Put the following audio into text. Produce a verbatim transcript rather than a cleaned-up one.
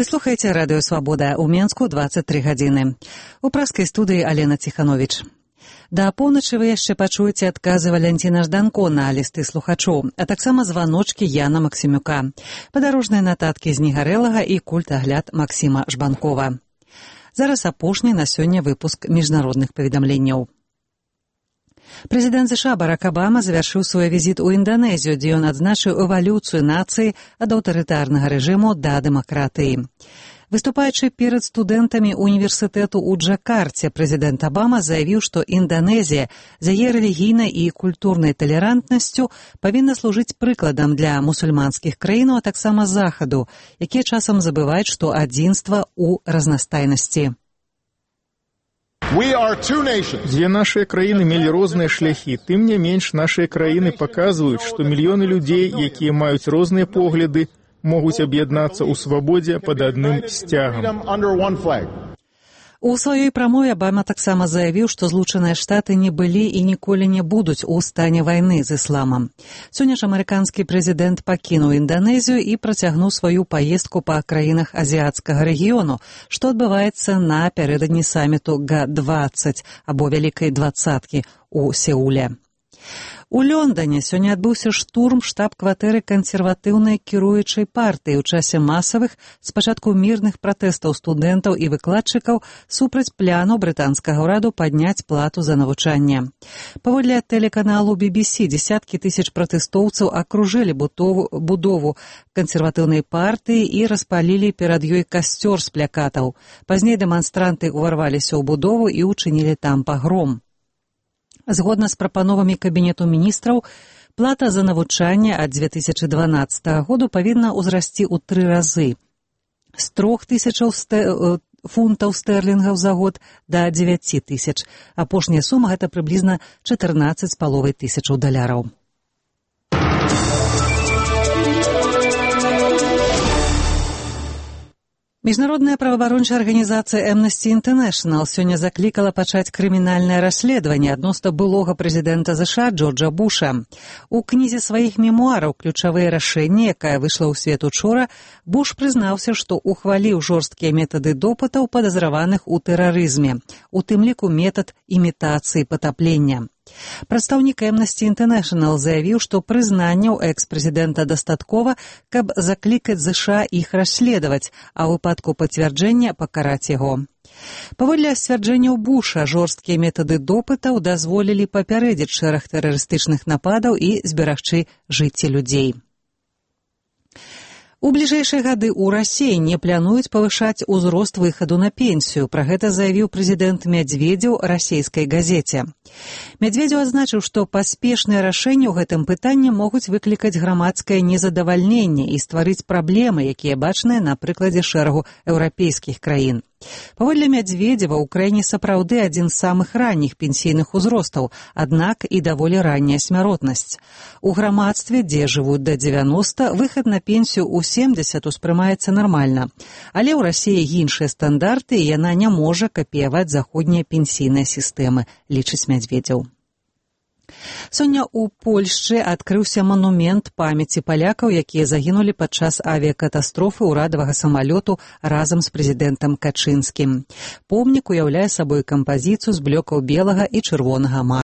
Вы слухаеце радыё «Свабода» ў Менску дваццаць тры гадзіны. У праскай студыі Алена Ціхановіч. Да поўначы вы яшчэ пачуеце адказы Валянціна Жданко на лісты слухачоў, а таксама званочкі Яна Максімюка, падарожныя нататкі з Негарэлага і культагляд Максіма Жбанкова. Зараз апошні на сёння выпуск міжнародных паведамленняў. Прэзідэнт ЗША Барак Абама завяршыў свой візіт у Інданезію, дзе ён адзначыў эвалюцыю нацыі ад аўтарытарнага рэжыму да дэмакратыі. Выступаючы перад студэнтамі універсітэту ў Джакарце, прэзідэнт Абама заявіў, што Інданезія з яе рэлігійнай і культурнай талерантнасцю павінна служыць прыкладам для мусульманскіх краін, а таксама захаду, якія часам забываюць, што адзінства ў разнастайнасці. Дзве нашыя краіны мелі розныя шляхі, тым не менш нашыя краіны паказваюць, што мільёны людзей, якія маюць розныя погляды, могуць аб'яднацца ў свабодзе пад адным сцягам. У сваёй прамове Абама таксама заявіў, што Злучаныя Штаты не былі і ніколі не будуць у стане вайны з ісламам. Сёння ж амерыканскі прэзідэнт пакінуў Інданезію і працягнуў сваю паездку па краінах азіяцкага рэгіёну, што адбываецца напярэдадні саміту га дваццаць або Вялікай дваццаткі ў Сеуле. У Лондоне сёння адбыўся штурм штаб-кватэры кансерватыўнай кіруючай партыі ў часе масавых, спачатку мірных пратэстаў студэнтаў і выкладчыкаў супраць пляну брытанскага ўраду падняць плату за навучанне. Паводле тэлеканалу би би сі, дзесяткі тысяч пратэстоўцаў акружылі будову, будову кансерватыўнай партыі і распалілі перад ёй касцёр з плякатаў. Пазней дэманстранты ўварваліся ў будову і ўчынілі там пагром. Згодна з прапановамі Кабінету міністраў, плата за навучанне ад дзве тысячы дванаццатага году павінна ўзрасці ў тры разы. З трох тысячаў стэ... фунтаў стэрлінгаў за год да дзевяці тысяч. Апошняя сума – гэта прыблізна чатырнаццаць з паловай тысячаў даляраў. Міжнародная праваабарончая арганізацыя Amnesty International сёння заклікала пачаць крымінальнае расследаванне адносна былога прэзідэнта ЗША Джорджа Буша. У кнізе сваіх мемуараў «Ключавыя рашэнні», якая выйшла ў свет учора, Буш прызнаўся, што ухваліў жорсткія метады допытаў падазраваных у тэрарызме, у тым ліку метад імітацыі патаплення. Прадстаўнік Amnesty International заявіў, што прызнанняў экс-прэзідэнта дастаткова, каб заклікаць ЗША іх расследаваць, а ў выпадку пацвярджэння пакараць яго. Паводле сцвярджэнняў Буша, жорсткія метады допытаў дазволілі папярэдзіць шэраг тэрарыстычных нападаў і зберагчы жыцці людзей. У бліжэйшыя гады ў Расіі не плануюць павышаць узрост выхаду на пенсію. Пра гэта заявіў прэзідэнт Мядзведзеў расійскай газеце. Мядзведзеў адзначыў, што паспешныя рашэнні ў гэтым пытанні могуць выклікаць грамадскае незадавальненне і стварыць праблемы, якія бачныя на прыкладзе шэрагу еўрапейскіх краін. Паводле Мядзведзева, у краіне сапраўды адзін з самых ранніх пенсійных узростаў, аднак і даволі ранняя смяротнасць. У грамадстве, дзе жывуць да дзевяноста, выхад на пенсію ў семдзесят успрымаецца нармальна. Але ў Расіі іншыя стандарты, і яна не можа капіяваць заходнія пенсійныя сістэмы, лічыць Мядзведзеў. Сёння ў Польшчы адкрыўся манумент памяці палякаў, якія загінулі падчас авіякатастрофы ўрадавага самалёту разам з прэзідэнтам Качынскім. Помнік уяўляе сабой кампазіцыю з блёкаў белага і чырвонага мармуру.